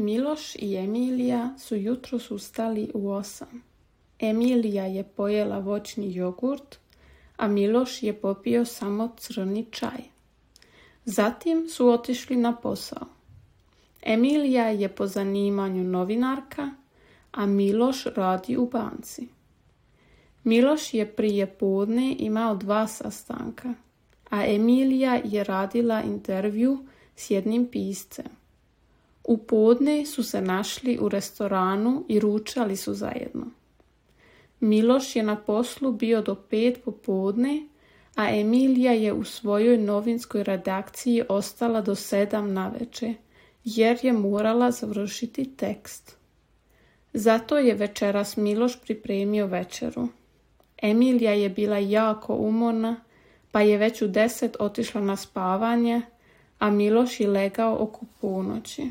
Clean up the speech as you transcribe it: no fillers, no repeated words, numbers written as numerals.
Miloš i Emilija su jutros ustali u 8. Emilija je pojela voćni jogurt, a Miloš je popio samo crni čaj. Zatim su otišli na posao. Emilija je po zanimanju novinarka, a Miloš radi u banci. Miloš je prije podne imao 2 sastanka, a Emilija je radila intervju s jednim piscem. U podne su se našli u restoranu i ručali su zajedno. Miloš je na poslu bio do 5 popodne, a Emilija je u svojoj novinskoj redakciji ostala do 7 navečer, jer je morala završiti tekst. Zato je večeras Miloš pripremio večeru. Emilija je bila jako umorna, pa je već u 10 otišla na spavanje, a Miloš je legao oko ponoći.